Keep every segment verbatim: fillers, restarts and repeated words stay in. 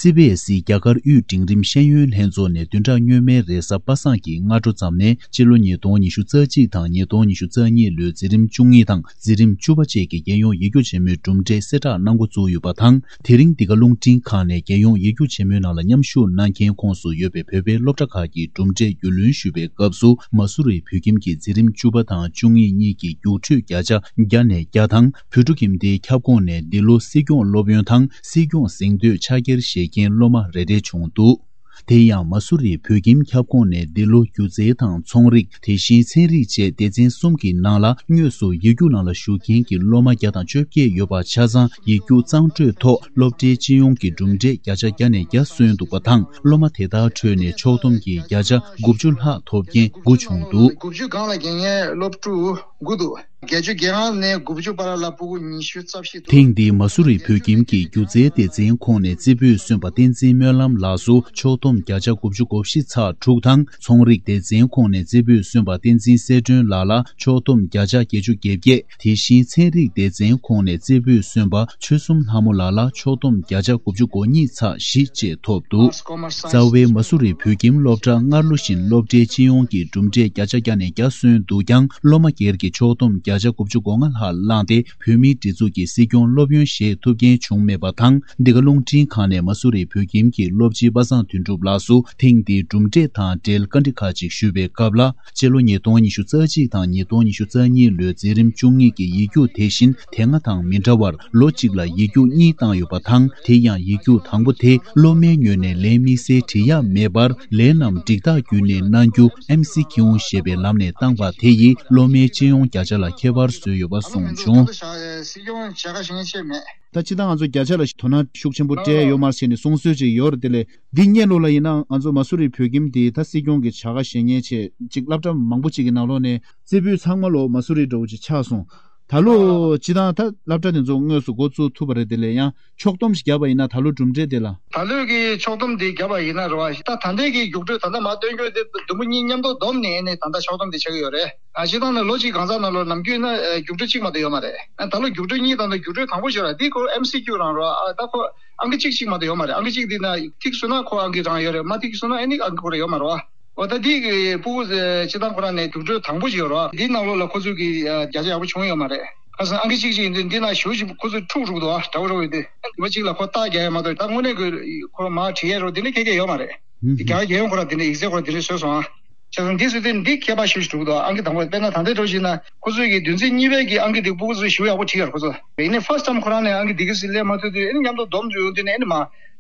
སི་བི་ཨེ་སི་རྒྱ་གར་དབུས་འབྲིང་རིམ་ཤེས་ཡོན་ལྷན་ཚོགས་ནས་བདུན་ཕྲག་སྔོན་མའི་རེས་གཟའ་པ་སངས་ཀྱི་སྔ་དྲོ་ཙམ་ནས་སྤྱི་ལོ་ཉིས་སྟོང་ཉི་ཤུ་རྩ་གཅིག་དང་ཉིས་སྟོང་ཉི་ཤུ་རྩ་གཉིས་ལོའི་འཛིན་རིམ་བཅུ་གཉིས་དང་འཛིན་རིམ་བཅུ་པ་བཅས་ཀྱི་རྒྱལ་ཡོངས་ཡིག་རྒྱུགས་ཆེན་མོའི་གྲུབ་འབྲས་གསལ་བསྒྲགས་གནང་འགོ་བཙུགས་ཡོད་པ་དང་། དེ་རིང་འདི་ག་རླུང་འཕྲིན་ཁང་ནས་རྒྱལ་ཡོངས་ཡིག་རྒྱུགས་ཆེན་མོའི་ནང་ལ་མཉམ་ཞུགས་གནང་མཁན་ཁོངས་སུ་ཡོད་པའི་བོད་པའི་སློབ་གྲྭ་ཁག་གི་གྲུབ་འབྲས་རྒྱུས་ལོན་ཞུ་བའི་སྐབས་སུ། མ་སུ་རི་བོད་ཁྱིམ་གྱི་འཛིན་རིམ་བཅུ་པ་དང་བཅུ་གཉིས་གཉིས་ཀྱི་རྒྱུགས་སྤྲོད་བརྒྱ་ཆ་བརྒྱ་ནས་བརྒྱ་དང་། བོད་ཕྲུག་ཁྱིམ་སྡེའི་ཁྱབ་ཁོངས་ནས་འདི་ལོ་སྲིད་སྐྱོང་སློབ་ཡོན་དང་སྲིད་སྐྱོང་གཟེངས་བསྟོད་ཕྱག་འཁྱེར་བཞེས་མཁན་སློབ་མ་རེ་རེ་བྱུང་འདུག་དེ་ཡང་མ་སུ་རི་བོད་ཁྱིམ་ཁྱབ་ཁོངས་ནས་འདི་ལོ་སྒྱུ་རྩལ་དང་ཚོང་རིག་དེ་བཞིན་ཚན་རིག་བཅས་སྡེ་ཚན་གསུམ་གྱི་ནང་ལ་དངོས་སུ་ཡིག་རྒྱུགས་ནང་ལ་ཞུགས་མཁན་གྱི་སློབ་མ་བརྒྱ་དང་བཅོ་བརྒྱད་ཡོད་པ་ཆ་ཚང་ཡིག་རྒྱུགས་གཙང་སྤྲོད་ཐོག་སློབ་གྲྭའི་སྤྱི་ཡོངས་ཀྱི་གྲུབ་འབྲས་བརྒྱ་ཆ་བརྒྱ་ནས་བརྒྱ་སོན་འདུག་པ་དང་། སློབ་མ་དེ་དག་ཁྲོད་ནས་ཕྱོགས་བསྡོམས་ཀྱིས་བརྒྱ་ཆ་དགུ་བཅུ་ལྷག་ཐོབ་མཁན་དགུ་བྱུང་འདུག་དགུ་བཅུ་སྒང་ལ་རྒྱལ་མཁན་སློབ་ཕྲུག་དགུ་འདུག་བརྒྱད་ཅུ་གྱ་ལྔ་ནས་དགུ་བཅུ་བར་ལ་སྤུ་གུ་ཉི་ཤུ་རྩ་བཞི་འདུག་ཐེངས་འདིའི་མ་སུ་རི་བོད་ཁྱིམ་གྱི་སྒྱུ་རྩལ་སྡེ་ཚན་ཁོངས་ནས་རྩེ་ཕུད་སོན་པ་བསྟན་འཛིན་སྨོན་ལམ་ལགས་སུ་ཕྱོགས་བསྡོམས་བརྒྱ་ཆ་དགུ་བཅུ་གོ་བཞི་ཚེག་དྲུག་དང་། ཚོང་རིག་སྡེ་ཚན་ཁོངས་ནས་རྩེ་ཕུད་སོན་པ་བསྟན་འཛིན་གསལ་སྒྲོན་ལགས་ལ་ཕྱོགས་བསྡོམས་བརྒྱ་ཆ་བརྒྱད་ཅུ་གྱ་བརྒྱད། དེ་བཞིན་ཚན་རིག་སྡེ་ཚན་ཁོངས་ནས་རྩེ་ཕུད་སོན་པ་ཆོལ་གསུམ་ལྷ་མོ་ལགས་ལ་ཕྱོགས་བསྡོམས་བརྒྱ་ཆ་དགུ་བཅུ་གོ་གཉིས་ཚེག་བཞི་བཅས་ཐོབ་འདུག་རྩ་བའི་མ་སུ་རི་བོད་ཁྱིམ་སློབ་གྲྭ་སྔར་ལོ་བཞིན་སློབ་གྲྭའི་སྤྱི་ཡོངས་ཀྱི་གྲུབ་འབྲས་བརྒྱ་ཆ་བརྒྱ་ནས་བརྒྱ་སོན་འདུག་ཀྱང་། སློབ་མ་སྒེར་གྱི་ཕྱོགས་བསྡོམས་བརྒྱ་ཆ་དགུ་བཅུ་གོ་ལྔ་ལྷག་བླངས་ཏེ། བོད་མིའི་སྒྲིག་འཛུགས་ཀྱི་སྲིད་སྐྱོང་སློབ་ཡོན་བཞེས་ཐུབ་མཁན་བྱུང་མེད་པ་དང་། འདི་ག་རླུང་འཕྲིན་ཁང་ནས་མ་སུ་རི་བོད་ཁྱིམ་གྱི་སློབ་སྤྱི་པ་སངས་དོན་གྲུབ་ལགས་སུ་ཐེངས་འདིའི་གྲུབ་འབྲས་དང་འབྲེལ་བཀའ་འདྲི་ཁག་ཅིག་ཞུས་པའི་སྐབས་ལ། སྤྱི་ལོ་ཉིས་སྟོང་ཉི་ཤུ་རྩ་གཅིག་དང་ཉིས་སྟོང་ཉི་ཤུ་རྩ་གཉིས་ལོའི་འཛིན་རིམ་བཅུ་གཉིས་ཀྱི་ཡིག་རྒྱུགས་དེ་བཞིན་དེ་སྔ་དང་མི་འདྲ་བར་ལོ་གཅིག་ལ་ཡིག་རྒྱུགས་གཉིས་བཏང་ཡོད་པ་དང་། དེ་ཡང་ཡིག་རྒྱུགས་དང་པོ་དེ་སློབ་མའི་ངོས་ནས་ལན་དམིགས་བསལ་འབྲི་ཡག་མེད་པར། ལན་རྣམས་འགྲིག་རྟགས་བརྒྱུད་ནས་གནང་རྒྱུ་ཨེམ་སི་ཁྱིའུ་ཞེས་པའི་ལམ་ནས་བཏང་པ་དེ་ཡིས་སློབ་མའི་སྤྱི་ཡོངས་བརྒྱ་ཆ་ལ་ཁྱད་པར་བཟོས་ཡོད་པ་གསུངས་བྱུང་། སྲིད་སྐྱོང་བྱ་དགའ་བཞེས་མཁན་ཆེ་མེད། ད་སྤྱིར་བཏང་ང་ཚོ་བརྒྱ་ཆ་ལ་དོ་སྣང་ཤུགས་ཆེན་པོ་སྤྲད་ཡོད་མ་རེད་ཟེར་ནས་གསུང་སྲོལ་ཅིག་ཡོད་རེད། དེ་ལས་འདི་སྔོན་ལོགས་ལ་ཡིན་ན་ང་ཚོ་མ་སུ་རི་བོད་ཁྱིམ་དེ་ད་སྲིད་སྐྱོང་གི་བྱ་དགའ་བཞེས་མཁན་ཆེ་ཅིག་སློབ་གྲྭ་མང་པོ་ཅིག་གི་ནང་ལོགས་ནས་རྩེ་ཕུད་ཚང་མ་ལོ་མ་སུ་རི་འདྲ་བོ་ཅིག་ཆགས་སོང་། ད་ལོ་སྤྱིར་བཏང་ད་སློབ་གྲྭ་དེ་ཚོ་དངོས་སུ་འགོ་བཙུགས་ཐུབ་པ་རེད། དེ་ལས་ཡང་ཕྱོགས་བསྡོམས་ཤིག་བརྒྱབ་པ་ཡིན་ན་ད་ལོ་གྲུབ་འབྲས་དེ་ལ། ད་ལོའི་གི་ཕྱོགས་བསྡོམས་དེ་བརྒྱབ་པ་ཡིན་ན་རེད་བ། ད་ད་ལྟའི་གི་རྒྱུགས་སྤྲོད་ད་ལྟ་མར་སྟོན་རྒྱུ་དེ་བདུན་པོ་གཉིས་མཉམ་དུ་བསྡོམས་ནས་ནས་ད་ལྟ་ཕྱོགས་བསྡོམས་དེ་བྱེད་ཀྱི་ཡོད་རེད། ཨ་སྤྱིར་བཏང་ནས་ལོ་གཅིག་གང་ཟག་ནང་ལོ་ནམ་རྒྱུན་ན་ཨ་རྒྱུགས་སྤྲོད་གཅིག་མ་གཏོགས་ཡོད་མ་རེད། ཨ་ད་ལོ་རྒྱུགས་སྤྲོད་གཉིས་དང་ད་རྒྱུགས་སྤྲོད་དང་པོ་ཞིག་ར་འདི་ཁོ་ཨེམ་སི་ཁྱུ་རང་རོ། ཨ་ད་ཁོ་ཨང་ཀི་གཅིག་གཅིག་མ་གཏོགས་ཡོད་མ་རེད། ཨང་ཀི་གཅིག་འདི་ན་ཐིག་སོང་ན་ཁོ་ཨང་ཀི་རང་ཡོད་རེད། མ་ཐིག་སོང་ན་ཨ་ནི་ཨང་ཀི་ཁོ་རང་ཡོད་མ་རེད་བ། འོ་ད་འདི་གི་ཕྲུ་གུ་སྤྱིར་བཏང་ཁོ་རང་ནས་རྒྱུགས་སྤྲོད་དང་པོ་ཞིག་ཡོད་རེད་བ། འདི་ནང་ལོགས་ལ་ཁོ་ཚོས་གི་ཨ་བརྒྱ་ཆ་ཡག་པོ་བྱུང་ཡོད་མ་རེད། ཁ་སང་ཨང་ཀི་གཅིག་གཅིག་ཡིན་དུས་འདི་ན་ཞུ་ཞིག་ཁོ་ཚོས་འཁྲུག་འཁྲུག་འདུག་ཨ། འདྲ་བོ་འདྲ་བོ་ཡོད་དུས་ལོ་གཅིག་ལ་ཁོ་རྟགས་རྒྱག་ཡ་མ་གཏོགས་ད་དངོས་གནས་ཀྱི་ཁོ་མར་བྲིས་ཡ་རོ་འདི་ནི་ཁྱེད་ཀྱི་ཡོད་མ་རེད། རྒྱ་གར་རྒྱལ་ཡོངས་ཁོ་ར་འདི་ནི་ཡིག་ཚད་ཁོ་ར་འདི་ནི་བཟོས་སོང་ཨ། བྱས་ཙང་འདི་སྲིད་དུས་འདི་ཁྱད་པར་ཞུ་ཞིག་འདུག་ཨ། ཨང་ཀི་དང་པོ་དཔེར་ན་ད་ལྟའི་འགྲོ་བཞིན་ན་ཁོ་ཚོས་ཀྱི་བདུན་ཚིགས་གཉིས་པའི་གི་ཨང་ཀི་འདི་ཕྲུ་གུ་ཚོས་ཞུ་ཡག་པོ་བྲིས་ཡོད་རེད་ཁོ་ཚོ། ཡིན་ནའི་ཕར་སི་ཊརམ་ཁོ་རང་ནས་ཨང་ཀི་འདི་གི་སྲིད་ལས་མ་ཐུབ་དུས་ཨ་ནི་མཉམ་དུ་བསྡོམས་ཡོང་དུས་ནས་ཨ་ནི་མ་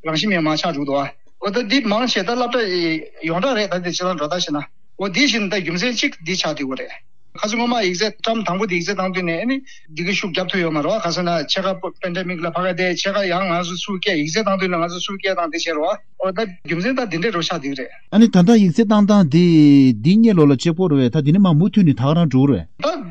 རང་བཞིན་མེད་མ་ཆགས་འགྲོ་འདུག་ཨ། འོ་ད་འདི་མང་ཆེ་ད་སློབ་གྲྭ་ཡོངས་གྲགས་རེད། ད་འདི་ཕྱི་ལ་འགྲོ་ད་ཤེ་ན། འོ་འདི་བཞིན་ད་རྒྱུ་མཚན་གཅིག་འདི་ཆགས་བསྡད་ཡོད་རེད། ཁ་སང་སྔོན་མ་ཡིག་ཚད་ཊརམ་དང་པོ་འདི་ཡིག་ཚད་བཏང་དུས་ནས་ཨ་ནི་འདི་གི་ཤུགས་རྒྱབ་ཐུབ་ཡོད་མ་རེད་བ། ག་ཟེར་ན་ཕྱེད་ཀ་པེན་ཌེ་མིག་ལ་ཕ་ག་དེ་ཕྱེད་ཀ་ཡང་ང་ཚོ་ཚུར་སྐད་ཡིག་ཚད་བཏང་དུས་ནས་ང་ཚོ་ཚུར་སྐད་བཏང་དེ་བྱས་རེད་བ། འོ་ད་རྒྱུ་མཚན་ད་འདི་འདྲས་རོ་ཆགས་བསྡད་ཀྱི་རེད། ཨ་ནི་ད་ལྟ་ཡིག་ཚད་བཏང་སྟངས་འདི་འདི་སྔོན་ལོགས་ལ་གཅིག་པོ་རེད་བས། ད་འདི་ནས་མར་མུ་མཐུད་ནས་ད་ག་རང་འགྲོ་གི་རེད།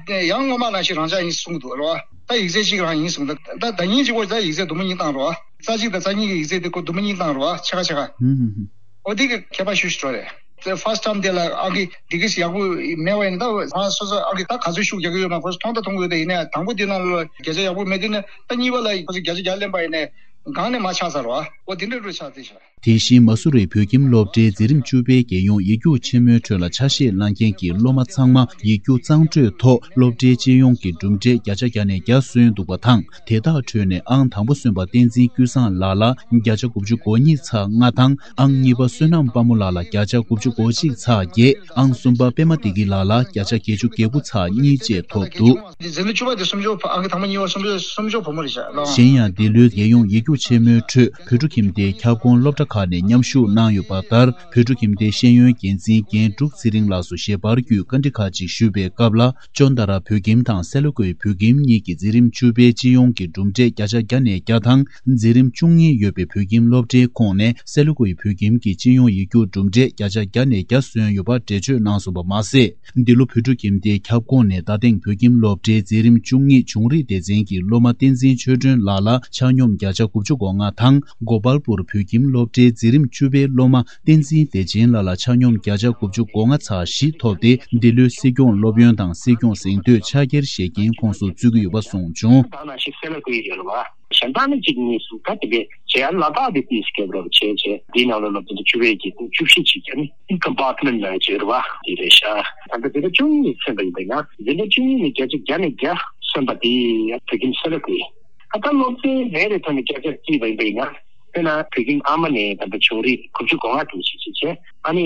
ད་ཡང་སྔོན་མ་ནང་བཞིན་རང་འཇགས་ཡིན་གསུངས་འདུག་རེད་བ། ད་ཡིག་ཚད་གཅིག་རང་ཡིན་གསུངས། ད་ད་ད་ཉིན་གཅིག་པོ་ད་ཡིག་ཚད་དུམ་བུ་གཉིས་བཏང་རེད་བ། རྩ་གཅིག་དང་རྩ་གཉིས་ཀྱི་ཡིག་ཚད་དེ་ཁོ་དུམ་བུ་གཉིས་བཏང་རེད་བ། ཕྱེད་ཀ་ཕྱེད་ཀ། ཧུམ་ཧུམ་ཧུམ། འོ་དེ་གི་ཁྱད་པར་ཤུགས་ཤིག་འགྲོ་རེད། ཕར་སི་ཊརམ་དེ་ལ་ཨང་ཀི་འདི་གི་ཡག་པོ་མེད་པ་ཡིན་ན་ད་ང་སོ་སོ་ཨང་ཀི་ད་ག་ཚོད་ཤུགས་རྒྱག་གི་ཡོད་མ་ཁོ་ཚོ་མཐོང་ད་མཐོང་གི་ཡོད། ད་ཡིན་ནའི་དང་པོ་འདི་ནང་ལ་བརྒྱ་ཆ་ཡག་པོ་མེད་དུས་ནས་ད་གཉིས་པ་ལ་ཁོ་ཚོ་བརྒྱ་ཆ་བརྒྱ་ལེན་པ་ཡིན་ནའི་སྒང་ནས་མར་ཆག་ཚར་བ། འོ་དེ་འདྲ་འགྲོ་ཆག་དེ་ཤག་དེ་བཞིན་མ་སུ་རི་བོད་ཁྱིམ་སློབ་གྲྭའི་འཛིན་རིམ་བཅུ་པའི་རྒྱལ་ཡོངས་ཡིག་རྒྱུགས་ཆེན་མོའི་ཁྲོད་ལ་ཆ་ཤས་བླངས་མཁན་གྱི་སློབ་མ་ཚང་མ་ཡིག་རྒྱུགས་གཙང་སྤྲོད་ཐོག་སློབ་གྲྭའི་སྤྱི་ཡོངས་ཀྱི་གྲུབ་འབྲས་བརྒྱ་ཆ་བརྒྱ་ནས་བརྒྱ་སོན་འདུག་པ་དང་། དེ་དག་ཁྲོད་ནས་ཨང་དང་པོ་སོན་པ་བསྟན་འཛིན་ཀུན་བཟང་ལགས་ལ་བརྒྱ་ཆ་དགུ་བཅུ་གོ་གཉིས་ཚེག་ལྔ་དང་། ཨང་གཉིས་པ་བསོད་ནམས་དཔའ་མོ་ལགས་ལ་བརྒྱ་ཆ་དགུ་བཅུ་གོ་གཅིག་ཚེག་བརྒྱད། ཨང་གསུམ་པ་པད་མ་བདེ་སྐྱིད་ལགས་ལ་བརྒྱ་ཆ་བརྒྱད་ཅུ་གྱ་དགུ་ཚེག་གཉིས་བཅས་ཐོབ་འདུག་འཛིན་གྲྭ་བཅུ་པ་དེ་སུམ་ཅུ་ཕོ་ཨང་ཀི་དང་པོ་གཉིས་པ་སུམ་ཅུ་སུམ་ཅུ་བུ་མོ་རེད་ཤག་ལགས། གཞན་ཡང་འདི་ལོའི་རྒྱལ་ཡོངས་ཡིག་རྒྱུགས་ཆེན་མོའི་ཁྲོད་བོད་ཕྲུག་ཁྱིམ་སྡེའི་ཁྱབ་ཁོངས་སློབ་གྲྭ་ཁག་ནས་མཉམ་ཞུགས་གནང་ཡོད་པ་ལྟར། བོད་ཕྲུག་ཁྱིམ་སྡེའི་ཤེས་ཡོན་འགན་འཛིན་རྒན་འབྲུག་ཚེ་རིང་ལགས་སུ་ཞལ་པར་བརྒྱུད་བཀའ་འདྲི་ཁག་ཅིག་ཞུས་པའི་སྐབས་ལ། ཅོན་ཏ་ར་བོད་ཁྱིམ་དང་སེ་ལ་ཀུའི་བོད་ཁྱིམ་གཉིས་ཀྱི་འཛིན་རིམ་བཅུ་པའི་སྤྱི་ཡོངས་ཀྱི་གྲུབ་འབྲས་བརྒྱ་ཆ་བརྒྱ་ནས་བརྒྱ་དང་། འཛིན་རིམ་བཅུ་གཉིས་ཡོད་པའི་བོད་ཁྱིམ་སློབ་གྲྭའི་ཁོངས་ནས་སེ་ལ་ཀུའི་བོད་ཁྱིམ་གྱི་སྤྱི་ཡོངས་ཡིག་རྒྱུགས་གྲུབ་འབྲས་བརྒྱ་ཆ་བརྒྱ་ནས་བརྒྱ་སོན་ཡོད་པ་འགྲེལ་བརྗོད་གནང་སོང་པ་མ་ཟད། འདི་ལོ་བོད་ཕྲུག་ཁྱིམ་སྡེའི་ཁྱབ་ཁོངས་ནས་རྡ་སྟེང་བོད་ཁྱིམ་སློབ་གྲྭའི་འཛིན་རིམ་བཅུ་གཉིས་བྱུང་རིག་སྡེ་ཚན་གྱི་སློབ་མ་བསྟན་འཛིན་ཆོས་སྒྲོན་ལགས་ལ་ཆ་སྙོམས་བརྒྱ་ཆ་དགུ་ བཅུ་གོ་ལྔ་དང་། གོ་པལ་པུར་བོད་ཁྱིམ་སློབ་གྲྭའི་འཛིན་རིམ་བཅུ་པའི་སློབ་མ་བསྟན་འཛིན་བདེ་ཆེན་ལགས་ལ་ཆ་སྙོམས་བརྒྱ་ཆ་དགུ་བཅུ་གོ་ལྔ་ཚེག་བཞི་ཐོབ་སྟེ། འདི་ལོའི་སྲིད་སྐྱོང་སློབ་ཡོན་དང་སྲིད་སྐྱོང་གཟེངས་བསྟོད་ཕྱག་འཁྱེར་བཞེས་མཁན་ཁོངས་སུ་བཙུད་ཀྱི་ཡོད་པ་གསུངས་བྱུང་། ད་ནང་བཞིན་གསལ་ལ་བཀོད་ཡོད་རེད་བ། གཞན་དག་ནི་གཅིག་གཉིས་གསུམ་ད་དེ་འདྲའི་བྱས་ཡ་ལ་དྭགས་དེ་ཏིས་སྐྱབས་རོགས་བྱས་བྱས་འདིའི་ནང་ལོ་ལོ་དེ་འདྲ་བཅུ་པའི་གི་བཅུ་བཞི་ཅིག་ཀྱང་ནི་ཨིན་ཀམ་པཱར་ཊི་མེན་ཊི་ལ་བྱས་རེད་བ། དེ་རེད་ཤག་ད་ལྟ་འཛིན་གྲྭ་བཅུ་གཉིས་ནས་ཚན་པ་ཡིན་པ་ཡིན་ན་འཛིན་གྲྭ་བཅུ་གཉིས་ནས་བརྒྱ་ཆ་བརྒྱ་ནས་བརྒྱ་སོན་པ་དེ་བོད་ཁྱིམ་གསོལ་རས་ཁུལ་ཡིན། ད་ལྟ་སློབ་ཚན་རེ་རེ་ཐོག་ནས་བརྒྱ་ཆ་བརྩིས་པ་ཡིན་པ་ཡིན་ན། དཔེར་ན་བོད་ཁྱིམ་ཨ་མ་ནས་ད་ལྟ་ཕྱོགས་རིས་དགུ་བཅུ་གོ་ལྔ་དེ་ཞིག་ཞིག་བྱས། ཨ་ནི་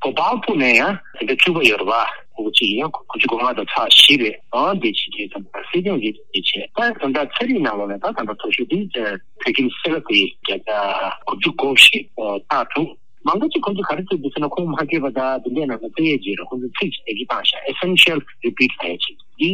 གོ་པལ་པུར་ནས་ཡང་དེ་འདྲ་བཅུ་པ་ཡོད་རེད་བ། ཁོ་གཅིག་ཡིན་ཡང་དགུ་བཅུ་གོ་ལྔ་དང་ཚེག་བཞི་རེད། ཨང་དེ་ཕྱི་རྒྱལ་དང་སྲིད་སྐྱོང་གི་དེ་བྱས། ད་ད་ལྟ་ཚན་རིག་ནང་ལོགས་ནས་ད་ད་ལྟ་མཐོ་ཤོས་དེ་བོད་ཁྱིམ་གསོལ་རས་ཁུལ་བརྒྱ་ཆ་དགུ་བཅུ་གོ་བཞི་ཚེག་དྲུག་མང་པོ་ཅིག་ཁོང་ཚོ་ག་རེ་བརྩི་འདུག་ཟེར་ན། ཁོང་མ་སྐྱེས་པ་དང་དེ་འདྲས་ནང་ལ་བརྩི་ཡས་ཅིག་རེད། ཁོང་ཚོ་ཚིག་ཅིག་དེ་གི་བཏང་ཤག essential repeat ལབ་ཡས་ཅིག་འདི་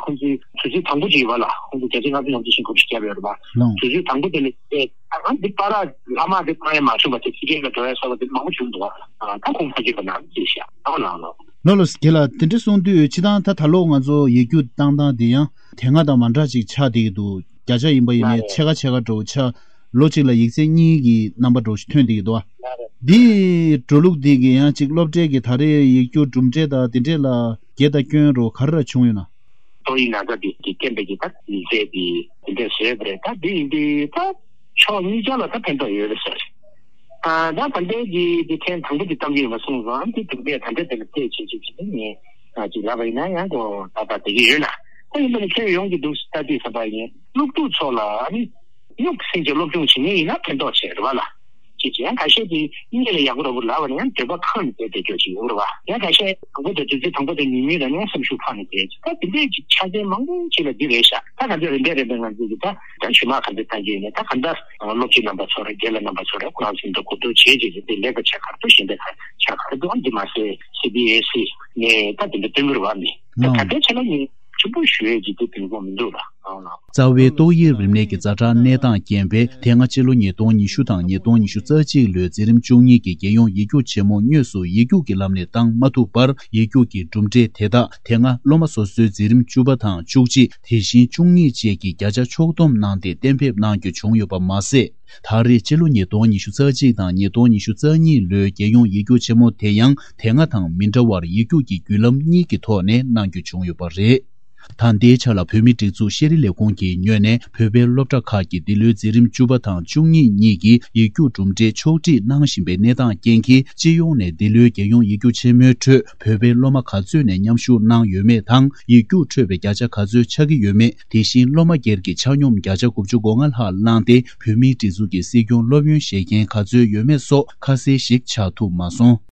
ཁོང་ཚོའི་དུས་ཚོད་དང་པོ་ཅིག་ཡོད་པ་ལ། ཁོང་ཚོ་བརྒྱ་ཆ་ལྔ་བཅུ་ལྔ་བཅུ་ཞིག་དགུ་བཅུ་བརྒྱབ་ཡོད་རེད་པ། ལགས། དུས་ཚོད་དང་པོ་དེ་ལ་བལྟས་ད་གང་འདི་པ་ར་ལྷག་མ་དེ་བཏང་ཡས་མ་བྱུང་བ་དེ་ཕྱི་རྒྱལ་ལ་འགྲོ་ཡས་སོགས་པ་དེ་མང་པོ་བྱུང་འདུག་ཨ། ད་ཁོང་མ་སྐྱེས་པ་ནང་བརྩིས་ཤག་ཨོ་ལགས་ལགས། ལགས་ལགས་རྒན་ལགས། དེ་འདྲ་གསུངས་དུས་སྤྱིར་བཏང་ད་ད་ལོ་ང་ཚོ་ཡིག་རྒྱུགས་བཏང་སྟངས་དེ་ཡང་དེ་སྔ་དང་མ་འདྲ་ཅིག་ཆགས་བསྡད་ཀྱི་འདུག་བརྒྱ་ཆ་ཡིན་པ་ཡིན་ནའི་ཕྱེད་ཀ་ཕྱེད་ཀ་འདྲ་བོ་ཆགས། ལོ་གཅིག་ལ་ཡིག་ཚད་གཉིས་ཀྱི་རྣམ་པ་འདྲ་བོ་ཞིག་ཐོན་བསྡད་ཀྱི་འདུག་བ། འདིའི་འགྲོ་ལུགས་འདི་གི་ཡང་གཅིག་སློབ་གྲྭའི་གི་ད་རེས་ཡིག་རྒྱུགས་གྲུབ་འབྲས་དང་འདི་འདྲས་ལ་དགེ་དང་སྐྱོན་རོ་ག་རེ་ར་བྱུང་ཡོད་ན། ཏོག་དབྱིབས་ན་ཚ་འདི་གི་རྐྱེན་པས་ཀྱི་ད་ཡིག་ཚད་འདི་འདི་འདྲས་བཟོས་པ་རེད། ད་འདི་ཡིན་དུས་ད་ཕྱོགས་གཉིས་ཆ་ལ་ད་ཕན་ཐོགས་ཡོད་རེད་ཟེར། ཨ་ད་ད་ལྟའི་གི་འདི་ཐེངས་དང་པོ་འདི་གཏམ་རྒྱུད་ཡིན་པ་སོང་ཙང་འདི་གྲུབ་འབྲས་ད་ལྟའི་དེ་ལ་བལྟས་བྱེད་ཅིག་བྱེད་དུས་ངས་ཅིག་ལབ་པ་ཡིན་ན་ཡང་གོ་ད་ད་དེ་གི་ཡོད་ན། ད་ཡིན་པ་ནི་ཁྱོན་ཡོངས་ཀྱི་འདུག་ལྟ་དུས་ཙམ་པ་ཡིན། སློབ་ཕྲུག་ཚོ་ལ་ཨ་ནི་སྨྱུག་སེང་ཆེ་སློབ་སྦྱོང་བྱེད་མཁན་ཡིན་ན་ཕན་ཐོགས་ཆེ་རེད་བ་ལ། ཅེས་ཀྱང་ཁ་ཤས་ཀྱིས་གཉིད་ལ་ཡག་པོ་རོ་པོ་ལབ་པ་ནི་ཡང་འདོད་པ་ཁེངས་ནས་བསྡད་བསྡད་རྒྱུ་ཞིག་ཡོད་རེད་བ། ཡང་ཁ་ཤས་དང་པོ་དང་དུས་ཚོད་དང་པོ་དང་ཉུང་ཉུང་ལ་ནི་ཡང་སེམས་ཤུགས་འཕར་ནས་བསྡད་ཅིག་ད་དེ་འདྲས་ཀྱི་ཆ་རྐྱེན་མང་པོ་ཅིག་ལ་འདི་རེད་ཤག་ད་ང་ཚོས་རིམ་པས་རིམ་པས་ང་ཚོས་ཀྱི་ད་ད་ཞུ་མ་ག་ཚོད་བཏང་གི་ཡོད་ནས་ད་གང་ལྟར་སློབ་སྤྱི་རྣམ་པ་ཚོ་རེད། རྒན་ལགས་རྣམ་པ་ཚོ་རེད། ཁོ་རང་ཚོ་འདི་གོ་བསྡུར་བྱས་རྗེས་ཀྱི་འདི་ལེགས་པ་ཆ་ག་རེ་འདུག་གཞན་པའི་ཆ་ག་རེ་འདུག་འདི་མ་ཟད་སི་བི་ཨེས་ཨི་ནས་ད་དེ་འདྲ་བཏོན་གྱི་རེད་བ། མི་ད་གང་ལྟར་ཆ་ལ་ངས་ཆེན་པོ་ཞུ་ཡས་ཀྱི་དེ་དེ་ངོ་མི་འདུག་ལ། རྩ་བའི་ཏོག་དབྱིབས་རིམས་ནད་ཀྱི་ཛ་དྲག་གནས་སྟངས་རྐྱེན་པས། དེ་སྔ་སྤྱི་ལོ་ཉིས་སྟོང་ཉི་ཤུ་དང་ཉིས་སྟོང་ཉི་ཤུ་རྩ་གཅིག་ལོའི་འཛིན་རིམ་བཅུ་གཉིས་ཀྱི་རྒྱལ་ཡོངས་ཡིག་རྒྱུགས་ཆེན་མོ་དངོས་སུ་ཡིག་རྒྱུགས་ཀྱི་ལམ་ནས་བཏང་མ་ཐུབ་པར། ཡིག་རྒྱུགས་ཀྱི་གྲུབ་འབྲས་དེ་དག་དེ་སྔ་སློབ་མ་སོ་སོའི་འཛིན་རིམ་བཅུ་པ་དང་བཅུ་གཅིག་དེ་བཞིན་བཅུ་གཉིས་བཅས་ཀྱི་བརྒྱ་ཆ་ཕྱོགས་བསྡོམས་གནང་སྟེ་གཏན་འབེབས་གནང་རྒྱུ་བྱུང་ཡོད་པ་མ་ཟད། ད་རེས་སྤྱི་ལོ་ཉིས་སྟོང་ཉི་ཤུ་རྩ་གཅིག་དང་ཉིས་སྟོང་ཉི་ཤུ་རྩ་གཉིས་ལོའི་རྒྱལ་ཡོངས་ཡིག་རྒྱུགས་ཆེན་མོ་དེ་ཡང་དེ་སྔ་དང་མི་འདྲ་བར་ཡིག་རྒྱུགས་ཀྱི་བརྒྱུད་ལམ་གཉིས་ཀྱི་ཐོག་ནས་གནང་རྒྱུ་བྱུང་ཡོད་པ་རེད། ད་ལྟའི་ཆ་ལ་བོད་མིའི་སྒྲིག་འཛུགས་ཤེས་རིག་ལས་ཁུངས་ཀྱི་ངོས་ནས་བོད་པའི་སློབ་གྲྭ་ཁག་གི་འདི་ལོའི་འཛིན་རིམ་བཅུ་པ་དང་བཅུ་གཉིས་གཉིས་ཀྱི་ཡིག་རྒྱུགས་གྲུབ་འབྲས་ཕྱོགས་སྒྲིག་གནང་བཞིན་པའི་གནས་སྟངས་རྐྱེན་གྱིས། སྤྱི་ཡོངས་ནས་འདི་ལོའི་རྒྱལ་ཡོངས་ཡིག་རྒྱུགས་ཆེན་མོའི་ཁྲོད་བོད་པའི་སློབ་མ་ག་ཚོད་ནས་མཉམ་ཞུགས་གནང་ཡོད་མེད་དང་། ཡིག་རྒྱུགས་འཕྲོད་པའི་བརྒྱ་ཆ་ག་ཚོད་ཆགས་ཀྱི་ཡོད་མེད། དེ་བཞིན་སློབ་མ་སྒེར་གྱི་ཆ་སྙོམས་བརྒྱ་ཆ་དགུ་བཅུ་གོ་ལྔ་ལྷག་བླངས་ཏེ། བོད་མིའི་སྒྲིག་འཛུགས་ཀྱི་སྲིད་སྐྱོང་སློབ་ཡོན་བཞེས་མཁན་ག་ཚོད་ཡོད་མེད་སོགས་ཁ་གསལ་ཞིག་ཆགས་ཐུབ་མ་སོང་།